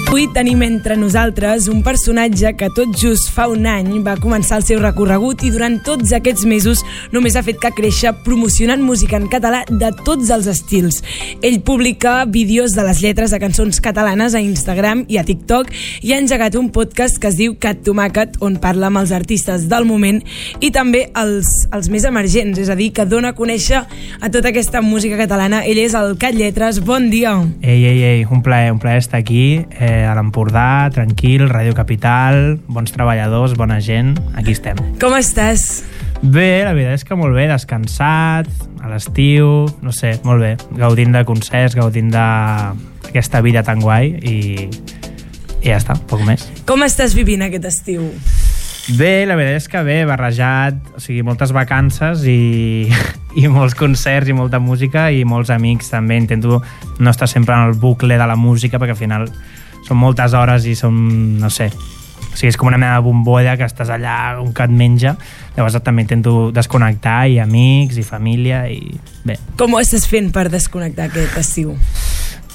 Avui tenim entre nosaltres un personatge que tot just fa un any va començar el seu recorregut i durant tots aquests mesos només ha fet que créixer promocionant música en català de tots els estils. Ell publica vídeos de les lletres de cançons catalanes a Instagram i a TikTok i ha engegat un podcast que es diu Cat Tomàquet, on parla amb els artistes del moment i també els més emergents, és a dir, que dona a conèixer a tota aquesta música catalana. Ell és el Cat Lletres. Bon dia. Ei, un plaer estar aquí, a l'Empordà, tranquil, Ràdio Capital, bons treballadors, bona gent, aquí estem. Com estàs? Bé, la veritat és que molt bé, descansat, a l'estiu, no sé, molt bé, gaudint de concerts, gaudint d'aquesta vida tan guai i ja està, poc més. Com estàs vivint aquest estiu? Bé, la veritat és que bé, barrejat, o sigui, moltes vacances i molts concerts i molta música i molts amics també. Intento no estar sempre en el bucle de la música perquè al final són moltes hores i són, no sé, o sigui, és com una mena de bombolla que estàs allà, un que et menja. Llavors també intento desconnectar, i amics i família i bé. Com ho estàs fent per desconnectar aquest estiu?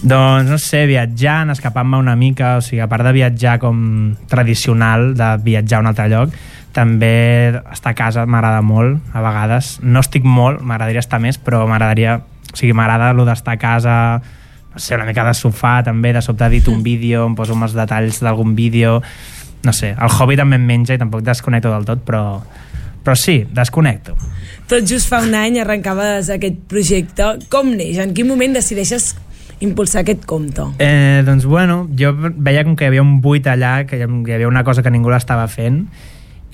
Doncs, no sé, viatjant, escapant-me una mica, o sigui, a part de viatjar com tradicional, de viatjar a un altre lloc, també estar a casa m'agrada molt, a vegades. No estic molt, m'agradaria estar més, però m'agrada allò d'estar a casa, no sé, una mica de sofà també, de sobte edito un vídeo, em poso els detalls d'algun vídeo, no sé, el hobby també em menja i tampoc desconnecto del tot, però sí, desconnecto. Tot just fa un any arrencaves aquest projecte. Com neix? En quin moment decideixes impulsar aquest compte? Doncs bueno, jo veia com que hi havia un buit allà, que hi havia una cosa que ningú l'estava fent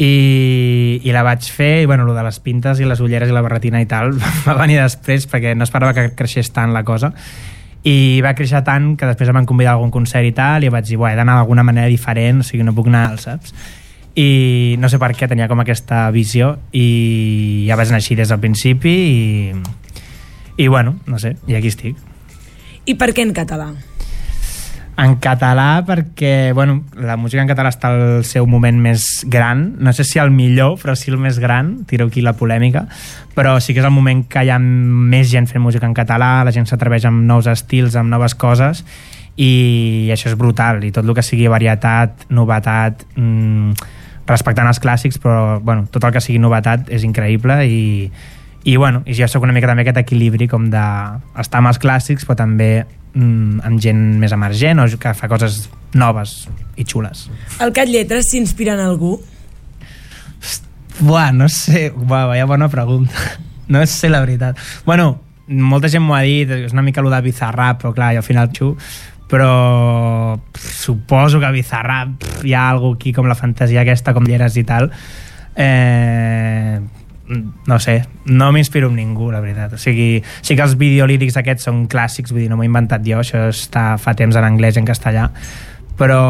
i la vaig fer, i bueno, lo de les pintes i les ulleres i la barretina i tal va venir després perquè no esperava que creixés tant la cosa i va créixer tant que després em van convidar a algun concert i tal i vaig dir, he d'anar d'alguna manera diferent, o sigui, no puc anar, saps? I no sé per què tenia com aquesta visió i ja vaig anar així des del principi i bueno, no sé, i aquí estic. I per què en català? En català perquè, bueno, la música en català està al seu moment més gran, no sé si el millor, però sí el més gran, tiro aquí la polèmica, però sí que és el moment que hi ha més gent fent música en català, la gent s'atreveix amb nous estils, amb noves coses, i això és brutal, i tot el que sigui varietat, novetat, respectant els clàssics, però bueno, tot el que sigui novetat és increïble i bueno, i jo soc una mica també aquest equilibri com d'estar amb els clàssics però també amb gent més emergent o que fa coses noves i xules. El Cat Lletres s'inspira en algú? No sé, vaya bona pregunta. No sé la veritat. Bueno, molta gent m'ho ha dit, és una mica allò de Bizarrap, però clar, jo al final però suposo que Bizarrap hi ha algú aquí com la fantasia aquesta, com lleres i tal. No sé, no m'inspiro en ningú, la veritat. O sigui, sí que els videolírics aquests són clàssics, vull dir, no m'ho he inventat jo, això està fa temps en anglès i en castellà, però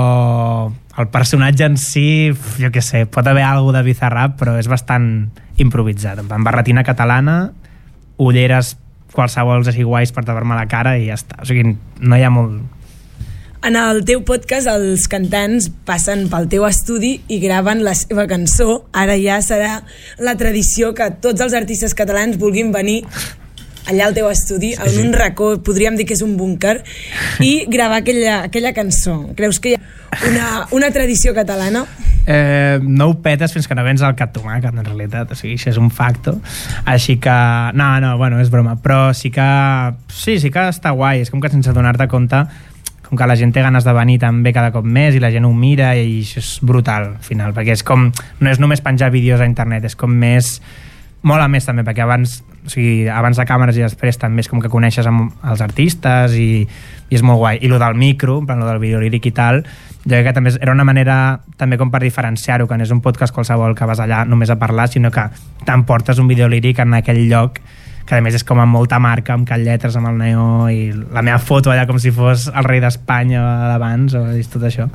el personatge en si, jo què sé, pot haver alguna de Bizarrap, però és bastant improvisat, amb barretina catalana, ulleres qualsevols així guais per tapar-me la cara i ja està. O sigui, no hi ha molt... En el teu podcast els cantants passen pel teu estudi i graven la seva cançó. Ara ja serà la tradició que tots els artistes catalans vulguin venir allà al teu estudi, en un racó, podríem dir que és un búnquer, i gravar aquella cançó. Creus que hi ha una tradició catalana? No ho petes fins que no vens al Cat Tomàquet, en realitat, o sigui, això és un facto, així que no, bueno, és broma, però sí que està guai, és com que sense donar-te compte com que la gent té ganes de venir també cada cop més i la gent ho mira i això és brutal al final, perquè és com, no és només penjar vídeos a internet, és com més, mola més també, perquè abans de càmeres i després també és com que coneixes els artistes i és molt guai, i lo del micro, en plan lo del videolíric i tal, jo crec que també era una manera també com per diferenciar-ho, que no és un podcast qualsevol que vas allà només a parlar, sinó que t'emportes un videolíric en aquell lloc que a més és com amb molta marca, amb Cat Lletres, amb el neó i la meva foto allà com si fos el rei d'Espanya d'abans o tot això,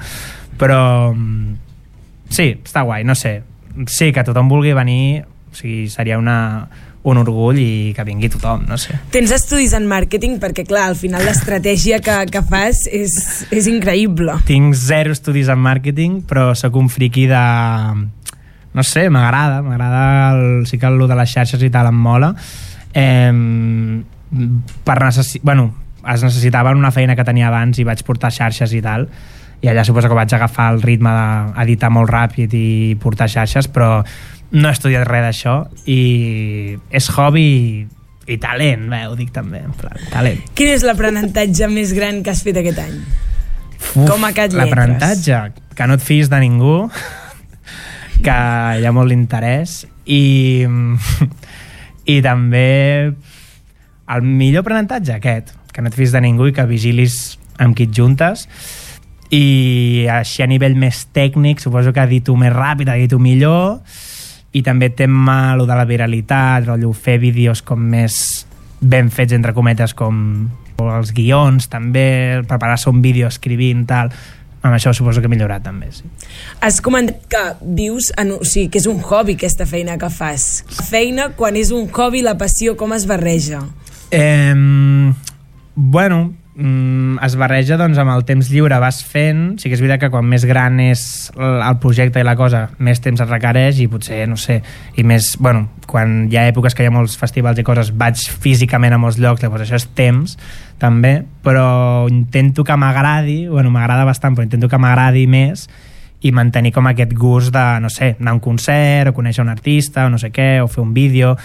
però sí, està guai, no sé, sí que tothom vulgui venir, o sigui, seria un orgull i que vingui tothom, no sé. Tens estudis en màrqueting? Perquè clar, al final l'estratègia que fas és increïble. Tinc 0 estudis en màrqueting, però sóc un friqui de... no sé, m'agrada sí que el de les xarxes i tal em mola. Es necessitava una feina que tenia abans i vaig portar xarxes i tal, i allà suposo que vaig agafar el ritme d'editar molt ràpid i portar xarxes, però no he estudiat res d'això i és hobby i talent, ho dic també, en plan, talent. Quin és l'aprenentatge més gran que has fet aquest any? Com a Cat Lletres. L'aprenentatge, que no et fiïs de ningú, que hi ha molt d'interès i també el millor aprenentatge aquest, que no et fiïs de ningú i que vigilis amb qui et juntes, i així a nivell més tècnic suposo que edito més ràpid, edito millor, i també tema lo de la viralitat, rotllo fer vídeos com més ben fets entre cometes, com els guions també, preparar-se un vídeo escrivint, tal. Amb això suposo que he millorat també, sí. Has comentat que vius o sigui, que és un hobby aquesta feina que fas. La feina, quan és un hobby, la passió, com es barreja? Bueno, es barreja doncs amb el temps lliure, vas fent. Sí que és veritat que quan més gran és el projecte i la cosa, més temps et requereix i potser, no sé, i més, bueno, quan hi ha èpoques que hi ha molts festivals i coses, vaig físicament a molts llocs, llavors això és temps també, però intento que m'agradi, bueno, m'agrada bastant, però intento que m'agradi més i mantenir com aquest gust de, no sé, anar a un concert o conèixer un artista o no sé què, o fer un vídeo,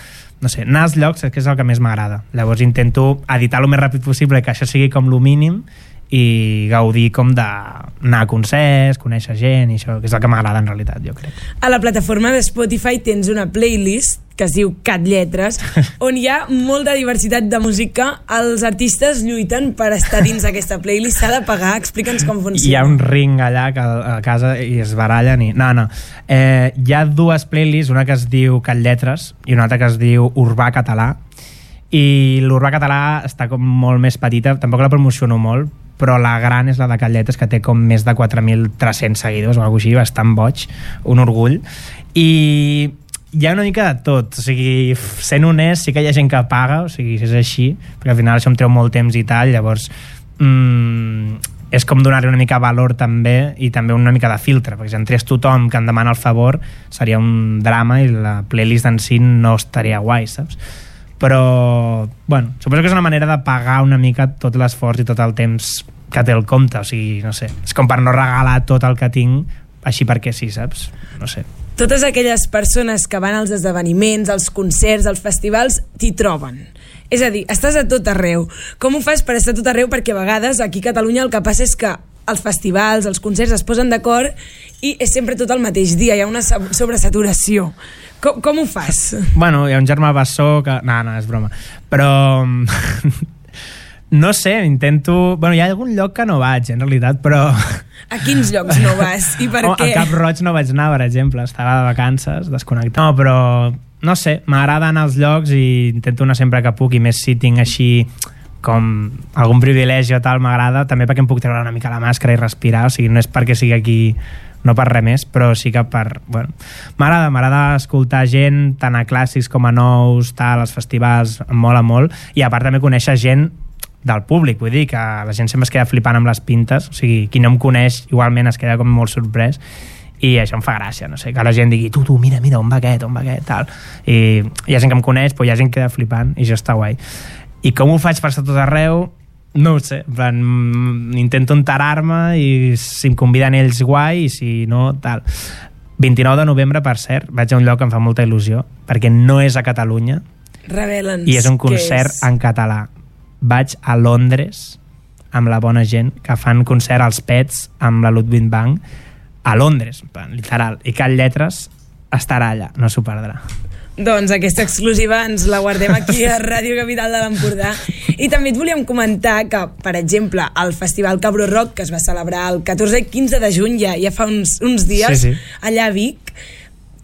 no sé, anar als llocs és que és el que més m'agrada. Llavors intento editar el més ràpid possible, que això sigui com lo mínim, i gaudir com d'anar a concerts, conèixer gent, i això, que és el que m'agrada en realitat, jo crec. A la plataforma de Spotify tens una playlist que es diu Cat Lletres, on hi ha molta diversitat de música. Els artistes lluiten per estar dins d'aquesta playlist. S'ha de pagar? Explica'ns com funciona. Hi ha un ring allà a casa i es barallen i... No. Hi ha dues playlists, una que es diu Cat Lletres i una altra que es diu Urbà Català, i l'Urbà Català està com molt més petita, tampoc la promociono molt, però la gran és la de Cat Lletres, que té com més de 4.300 seguidors o alguna cosa així, bastant boig, un orgull. I hi ha una mica de tot, o sigui, sent honest, sí que hi ha gent que paga, o sigui, és així, perquè al final això em treu molt temps i tal, llavors és com donar-li una mica valor també, i també una mica de filtre, perquè si entrés tothom que em demana el favor seria un drama i la playlist en si no estaria guai, saps? Però, bueno, suposo que és una manera de pagar una mica tot l'esforç i tot el temps que té el compte, o sigui, no sé, és com per no regalar tot el que tinc així perquè sí, saps? No sé. Totes aquelles persones que van als esdeveniments, als concerts, als festivals, t'hi troben. És a dir, estàs a tot arreu. Com ho fas per estar a tot arreu? Perquè a vegades aquí a Catalunya el que passa és que els festivals, els concerts es posen d'acord i és sempre tot el mateix dia, hi ha una sobresaturació. Com ho fas? Bueno, hi ha un germà bessó que... No, és broma. Però... no sé, intento... Bueno, hi ha algun lloc que no vaig, en realitat, però... A quins llocs no vas? I per què? A Cap Roig no vaig anar, per exemple. Estava de vacances, desconnectat. No, però... No sé, m'agrada anar als llocs i intento anar sempre que puc, i més si tinc així com algun privilegi o tal, m'agrada, també perquè em puc treure una mica la màscara i respirar, o sigui, no és perquè sigui aquí, no per res més, però sí que per... Bueno, m'agrada escoltar gent, tant a clàssics com a nous, tal, als festivals, em mola molt, i a part també conèixer gent del públic, vull dir que la gent sempre es queda flipant amb les pintes, o sigui, qui no em coneix igualment es queda com molt sorprès, i això em fa gràcia, no sé, que la gent digui tu, mira, on va aquest, tal, i hi ha gent que em coneix, però hi ha gent que queda flipant, i això està guai. I com ho faig per estar tot arreu? No ho sé, en plan, intento enterar-me i si em conviden ells guai, i si no, tal. 29 de novembre, per cert, vaig a un lloc que em fa molta il·lusió, perquè no és a Catalunya. Revela'ns. I és un concert en català. Vaig a Londres amb la bona gent, que fan concert als Pets amb la Ludwig Bank a Londres, literal, i Cat Lletres estarà allà, no s'ho perdrà. Doncs aquesta exclusiva ens la guardem aquí a Ràdio Capital de l'Empordà. I també et volíem comentar que, per exemple, el Festival Cabró Rock, que es va celebrar el 14 i 15 de juny, ja fa uns dies, sí. Allà a Vic,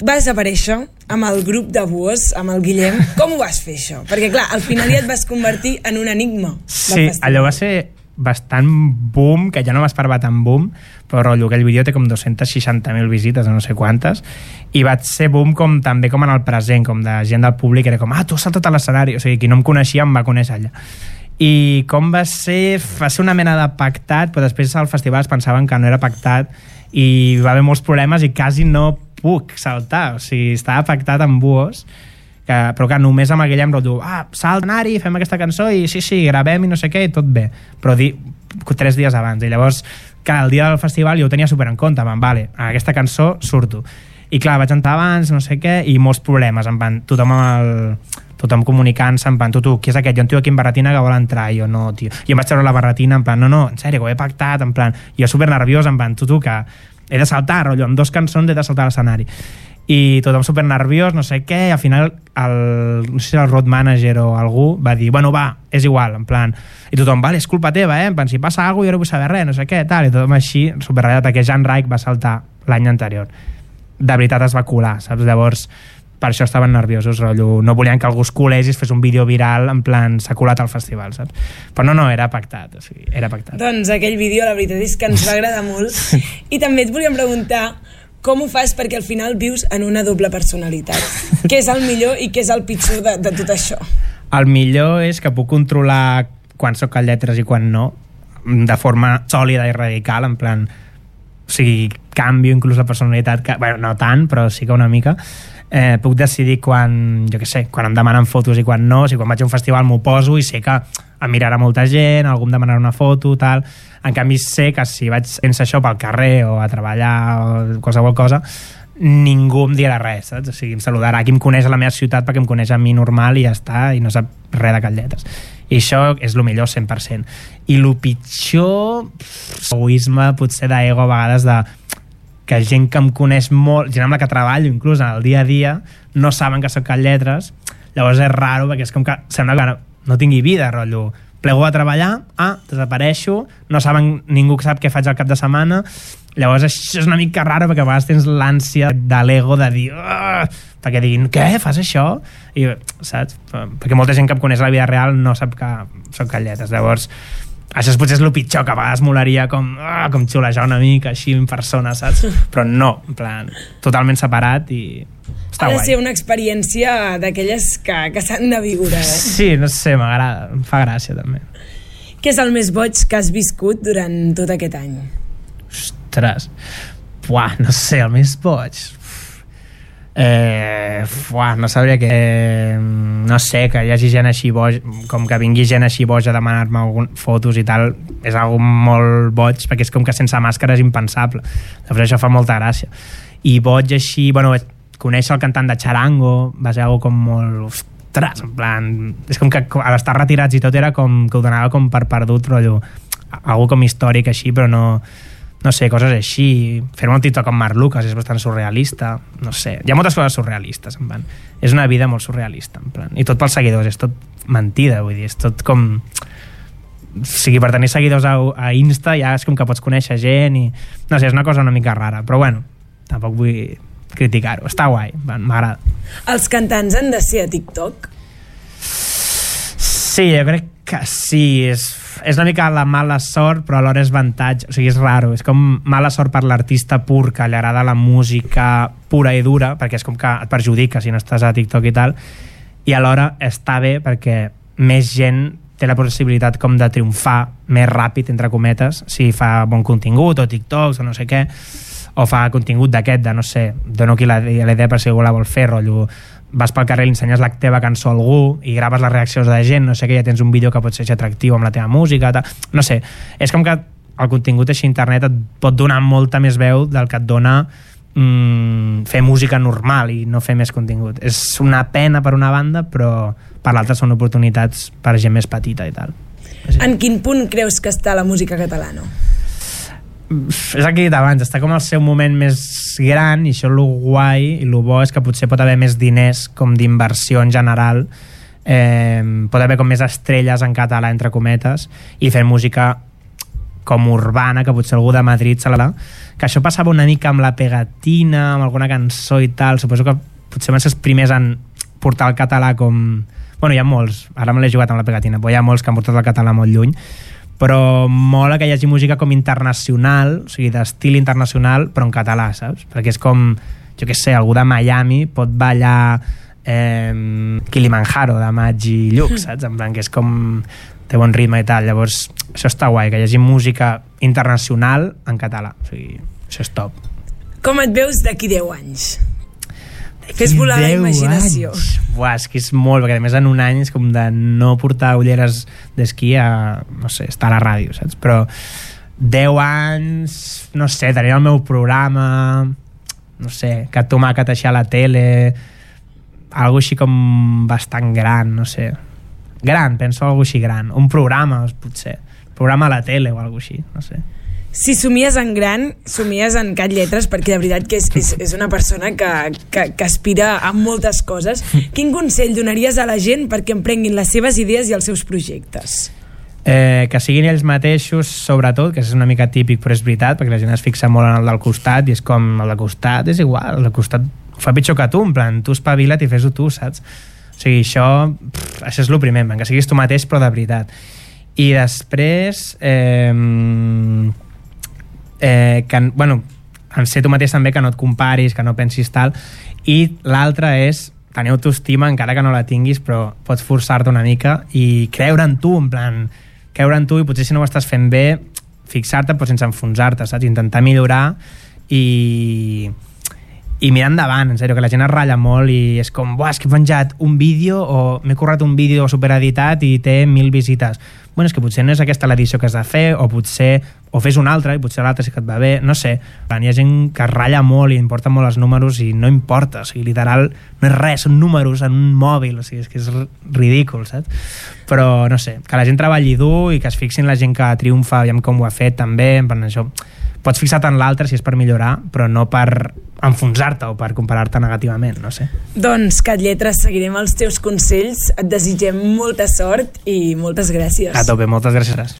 va desaparèixer amb el grup de Buos, amb el Guillem. Com ho vas fer, això? Perquè, clar, al final ja et vas convertir en un enigma. Sí, allò va ser bastant boom, que ja no m'esperava tan boom, però rotllo, aquell vídeo té com 260.000 visites, no sé quantes, i va ser boom com, també com en el present, com de gent del públic, era com, tu has saltat a l'escenari, o sigui, qui no em coneixia em va conèixer allà. I com va ser una mena de pactat, però després al festival es pensaven que no era pactat, i va haver molts problemes i quasi no puc saltar, o sigui, estava pactat amb Buos, però que només amb aquell em rotllo, salt anar-hi, fem aquesta cançó i sí, gravem i no sé què, i tot bé, però 3 dies abans, i llavors clar, el dia del festival jo ho tenia super en compte, vale, a aquesta cançó surto. I clar, vaig entrar abans, no sé què, i molts problemes, en plan, tothom comunicant-se, en plan, tu, qui és aquest? Jo un tio aquí en barretina que vol entrar, i jo no, tio. I em vaig treure la barretina, en plan, no, en sèrio, que ho he pactat, en plan, jo super nerviós, en plan, tu, que he de saltar, rotllo, amb 2 cançons he de saltar a l'escenari. I tothom super nerviós, no sé què, i al final no sé si el road manager o algú va dir, bueno, va, és igual, en plan, i tothom, vale, és culpa teva, en plan, si passa alguna cosa jo no vull saber res, no sé què, tal, i tothom així, super ratllat, perquè Jan Reich va saltar l'any anterior. De veritat es va colar, saps? Llavors, per això estaven nerviosos, rotllo, no volien que algú es colés i es fes un vídeo viral, en plan, s'ha colat al festival, saps? Però no, era pactat, o sigui, era pactat. Doncs aquell vídeo, la veritat és que ens va agradar molt, i també et volíem preguntar com ho fas perquè al final vius en una doble personalitat. Què és el millor i què és el pitjor de tot això? El millor és que puc controlar quan soc a lletres i quan no, de forma sòlida i radical, en plan, o sigui, canvio inclús la personalitat, bueno, no tant, però sí que una mica. Puc decidir quan, jo què sé, quan em demanen fotos i quan no, o sigui, quan vaig a un festival m'ho poso i sé que em mirarà molta gent, algú em demanarà una foto, tal. En canvi sé que si vaig sense això pel carrer o a treballar o qualsevol cosa, ningú em dirà res, saps? O sigui, em saludarà qui em coneix a la meva ciutat perquè em coneix a mi normal i ja està, i no sap res de catlletes. I això és el millor 100%. I el pitjor, egoisme, potser d'ego a vegades, de que gent que em coneix molt, gent amb la que treballo inclús en el dia a dia, no saben que soc Catlletres. Llavors és raro perquè és com que sembla que no tingui vida, rotllo, plego a treballar, desapareixo, no saben, ningú sap què faig al cap de setmana. Llavors això és una mica raro perquè a vegades tens l'ànsia de l'ego de dir perquè diguin, què, fas això? I, saps? Perquè molta gent que em coneix a la vida real no sap que soc Catlletes. Llavors això potser és el pitjor, que a vegades molaria com xulejar una mica així en persona, saps? Però no, en plan, totalment separat i està guai. Ha de ser una experiència d'aquelles que s'han de viure, Sí, no sé, m'agrada, em fa gràcia també. Què és el més boig que has viscut durant tot aquest any? Ostres, no sé, el més boig... no sabria que no sé, que hi hagi gent així boja, com que vingui gent així boja a demanar-me fotos i tal, és algo molt boig perquè és com que sense màscara és impensable. Llavors això fa molta gràcia. I boig així, bueno, conèixer el cantant de Charango va ser algo com molt, ostres, en plan, és com que a l'estar retirats i tot era com que ho donava com per perdut, rotllo, algo com històric així, però no sé, coses així. Fer-me un TikTok amb Marc Lucas és bastant surrealista, no sé, hi ha moltes coses surrealistes, en plan. És una vida molt surrealista, en plan, i tot pels seguidors, és tot mentida, vull dir, és tot com, o sigui, per tenir seguidors a Insta ja és com que pots conèixer gent i, no sé, és una cosa una mica rara, però bueno, tampoc vull criticar-ho, està guai, m'agrada. Els cantants han de ser a TikTok? Sí, jo crec que sí, és una mica la mala sort, però alhora és avantatge, o sigui, és raro, és com mala sort per l'artista pur que li agrada la música pura i dura, perquè és com que et perjudica si no estàs a TikTok i tal, i alhora està bé perquè més gent té la possibilitat com de triomfar més ràpid, entre cometes, si fa bon contingut o TikToks o no sé què, o fa contingut d'aquest, de no sé, dono aquí la idea per si algú la vol fer, rotllo, vas pel carrer i li ensenyes la teva cançó a algú i graves les reaccions de gent, no sé què, ja tens un vídeo que pot ser atractiu amb la teva música, no sé, és com que el contingut així a internet et pot donar molta més veu del que et dona fer música normal i no fer més contingut. És una pena per una banda, però per l'altra són oportunitats per gent més petita i tal. En quin punt creus que està la música catalana? És el que he dit abans, està com al seu moment més gran, i això és el guai i el bo és que potser pot haver més diners com d'inversió en general, pot haver com més estrelles en català entre cometes i fer música com urbana, que potser algú de Madrid se la... que això passava una mica amb la pegatina, amb alguna cançó i tal, suposo que potser van ser els primers en portar el català com... Bueno, hi ha molts, ara me l'he jugat amb la pegatina, però hi ha molts que han portat el català molt lluny, però mola que hi hagi música com internacional, o sigui, d'estil internacional, però en català, saps? Perquè és com, jo què sé, algú de Miami pot ballar Kilimanjaro de Maggi Lluc, saps? En plan, que és com té bon ritme i tal. Llavors, això està guai, que hi hagi música internacional en català, o sigui, això és top. Com et veus d'aquí 10 anys? Fes volar la imaginació. Buah, és que és molt, perquè a més en un any és com de no portar ulleres d'esquí a, no sé, estar a la ràdio, saps? Però 10 anys, no sé, tenia el meu programa, no sé, Cat Tomàquet així a la tele, algo així com bastant gran, no sé. Gran, penso algo així gran. Un programa, potser. Programa a la tele o algo així, no sé. Si somies en gran, somies en Cat Lletres, perquè de veritat que és una persona que aspira a moltes coses. Quin consell donaries a la gent perquè emprenguin les seves idees i els seus projectes? Que siguin ells mateixos, sobretot, que és una mica típic, però és veritat, perquè la gent es fixa molt en el del costat, i és com, el del costat és igual, el del costat fa pitjor que tu, en plan, tu espavila't i fes-ho tu, saps? O sigui, això és el primer, que siguis tu mateix, però de veritat. I després, en ser tu mateix també, que no et comparis, que no pensis tal, i l'altre és tenir autoestima, encara que no la tinguis, però pots forçar-te una mica i creure en tu, en plan, creure en tu, i potser si no ho estàs fent bé, fixar-te però sense enfonsar-te, saps? Intentar millorar i mirar endavant, en sèrio, que la gent es ratlla molt i és com, buah, és que he penjat un vídeo o m'he currat un vídeo supereditat i té 1.000 visites. Bueno, és que potser no és aquesta l'edició que has de fer, o potser o fes una altra i potser l'altra sí que et va bé, no sé. Hi ha gent que es ratlla molt i importa molt els números i no importa, o sigui, literal no és res, són números en un mòbil, o sigui, és que és ridícul, saps? Però no sé, que la gent treballi dur i que es fixin la gent que triomfa, aviam com ho ha fet també, en plan, això pots fixar-te en l'altre si és per millorar, però no per enfonsar-te o per comparar-te negativament, no sé. Doncs, Cat Lletres, seguirem els teus consells, et desitgem molta sort i moltes gràcies. A tope, moltes gràcies.